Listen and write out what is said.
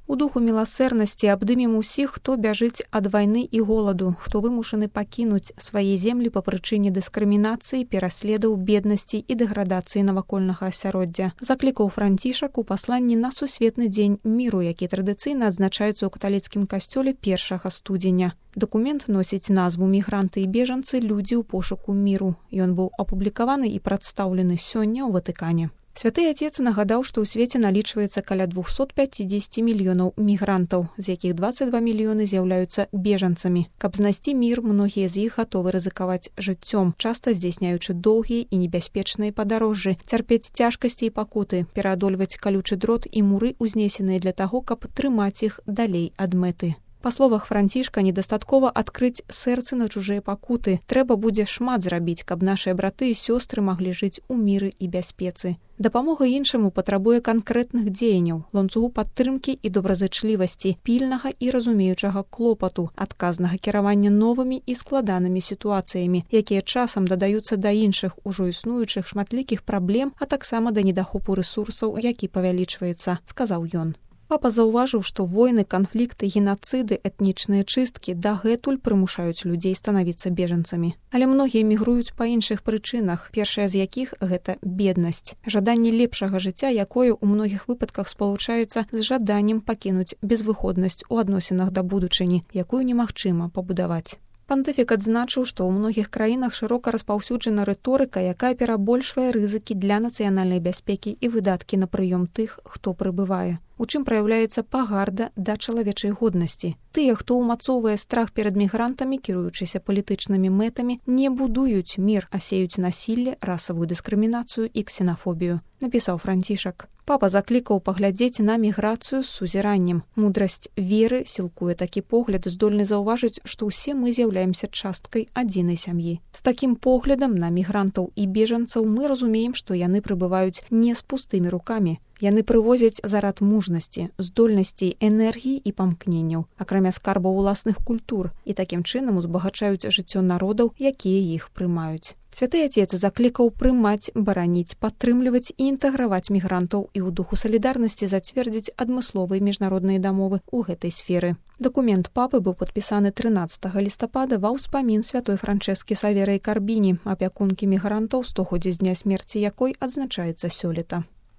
У духу міласэрнасці абдымем усіх, хто бяжыць ад вайны і голаду, хто вымушаны пакінуць свае землі па прычыне дыскрымінацыі, пераследаў, беднасці і дэградацыі навакольнага асяроддзя. Заклікаў Францішак у пасланні на Сусветны дзень міру, які традыцыйна адзначаецца ў каталіцкім касцёле 1 студзеня. Дакумент носіць назву «Мігранты і бежанцы. Людзі ў пошуку міру». Ён быў апублікаваны і прадстаўлены сёння ў Ватыкане. Святы Отец нагадаў, што ў свеце налічваецца каля 250 мільёнаў мігрантаў, з якіх 22 мільёны з'яўляюцца бежанцамі. Каб знайсці мір, многія з іх гатовы рызыкаваць жыццём, часта здзяйсняючы доўгія і небяспечныя падарожжы, цярпець цяжкасці і пакуты, пераадольваць калючы дрот і муры, узнесеныя для таго, каб трымаць іх далей ад мэты. Па словах Францішка, недастаткова адкрыць сэрцы на чужыя пакуты. Трэба будзе шмат зрабіць, каб нашыя браты і сёстры маглі жыць у міры і бяспецы. Дапамога іншаму патрабуе канкрэтных дзеянняў, ланцугу падтрымкі і добразычлівасці, пільнага і разумеючага клопату, адказнага кіравання новымі і складанымі сітуацыямі, якія часам дадаюцца да іншых ужо існуючых шматлікіх праблем, а таксама да недахопу рэсурсаў, які павялічваецца, сказаў ён. Папа заўважыў, што войны, канфлікты, генацыды, этнічныя чысткі дагэтуль прымушаюць людзей станавіцца бежанцамі. Але многія мігруюць па іншых прычынах, першая з якіх – гэта беднасць. Жаданне лепшага жыцця, якое ў многіх выпадках спалучаецца з жаданнем пакінуць безвыходнасць у адносінах да будучыні, якую немагчыма пабудаваць. Пантыфік адзначыў, што ў многіх краінах шырока распаўсюджана рыторыка, якая перабольшвае рызыкі для нацыянальнай бяспекі і выдаткі на прыём тых, хто прыбывае. У чым праяўляецца пагарда да чалавечай годнасці. Тыя, хто ўмацоўвае страх перад мігрантамі, кіруючыся палітычнымі мэтамі, не будуюць мір, а сеюць насілле, расавую дыскрымінацыю і ксенафобію, напісаў Францішак. Папа заклікаў паглядзець на міграцыю з сузіраннем. Мудрасць веры сілкуе такі погляд, здольны заўважыць, што ўсе мы з'яўляемся часткай адзінай сям'і. З такім поглядам на мігрантаў і бежанцаў мы разумеем, што яны прыбываюць не з пустымі рукамі. Яны прывозяць зарад мужнасці, здольнасцей, энергіі і памкненняў, акрамя скарбаў уласных культур, і такім чынам узбагачаюць жыццё народаў, якія іх прымаюць. Святы Отец заклікаў прымаць, бараніць, падтрымліваць і інтэграваць мігрантаў і ў духу салідарнасці зацвердзіць адмысловыя міжнародныя дамовы ў гэтай сферы. Дакумент папы быў падпісаны 13 лістапада ва ўспамін святой Франчэскі Саверы Карбіні, апякункі мігрантаў, 100-годдзе з дня смерці якой адзначаецца сёлета.